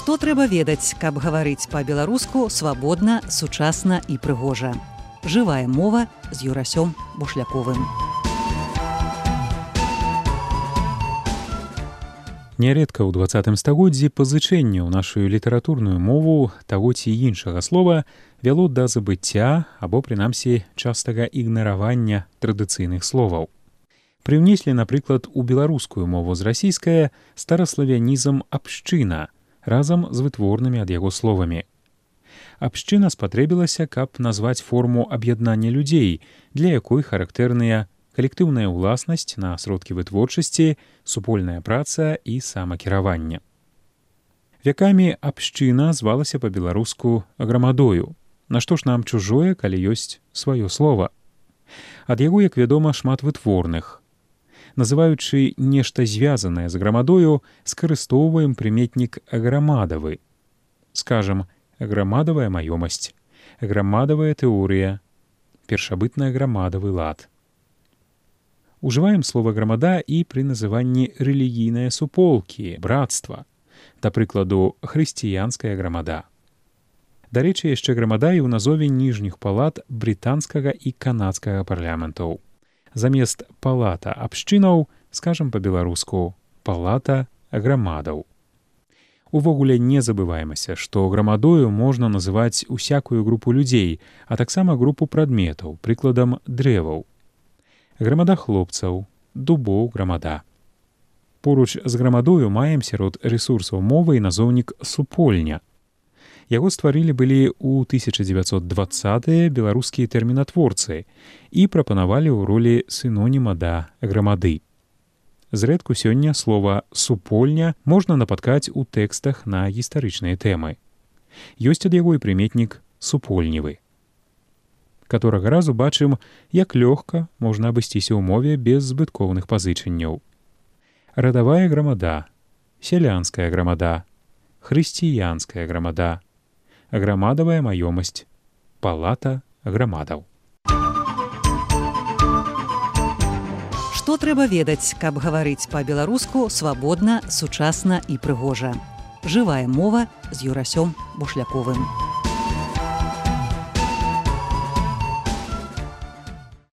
Што трэба ведаць, каб гаварыць па-беларуску свабодна, сучасна і прыгожа. Жывая мова з Юрасём Бушляковым. Нярэдка ў 20 стагоддзі пазычэнне ў нашу літаратурную мову таго ці іншага слова вяло да забыцця або, прынамсі, частага ігнаравання традыцыйных словаў. Прыўнеслі, напрыклад, у беларускую мову з расійскае стараславянізм «абшчына» разам з вытворнымі ад яго словамі. Абшчына спатрэбілася, каб назваць форму аб'яднання людзей, для якой характэрныя калектыўная ўласнасць на сродкі вытворчасці, супольная праца і самакіраванне. Вякамі абшчына звалася па-беларуску грамадою. Нашто ж нам чужое, калі ёсць сваё слова? Ад яго, як вядома, шмат вытворных. Называючы нешта звязанае з грамадою, скарыстоўваем прыметнік аграмадавы. Скажам, аграмадавая маёмасць, аграмадавая тэорыя, першабытна-аграмадавы лад. Ужываем слова «грамада» і пры называнні рэлігійныя суполкі, братства, да прыкладу, хрысціянская грамада. Дарэчы, яшчэ грамада і ў назове ніжніх палат брытанскага і канадскага парламентаў. Замест палата абшчынаў, скажам па-беларуску, палата грамадаў. Увогуле не забываемся, што грамадою можна называць усякую групу людзей, а таксама групу прадметаў, прыкладам дрэваў. Грамада хлопцаў, дубоў грамада. Поруч з грамадою маем сярод рэсурсаў мовы і назоўнік супольня. Яго стварылі былі ў 1920-е беларускія тэрмінатворцы і прапанавалі ў ролі сіноніма да грамады. Зрэдку сёння слова «супольня» можна напаткаць у тэкстах на гістарычныя тэмы. Ёсць ад яго і прыметнік «супольнівы». Каторага разу бачым, як лёгка можна абысціся ў мове без збыткоўных пазычанняў. Радавая грамада, сялянская грамада, хрысціянская грамада, аграмадавая маёмасць, палата грамадаў. Што трэба ведаць, каб гаварыць па-беларуску свабодна, сучасна і прыгожа. Жывая мова з Юрасём Бушляковым.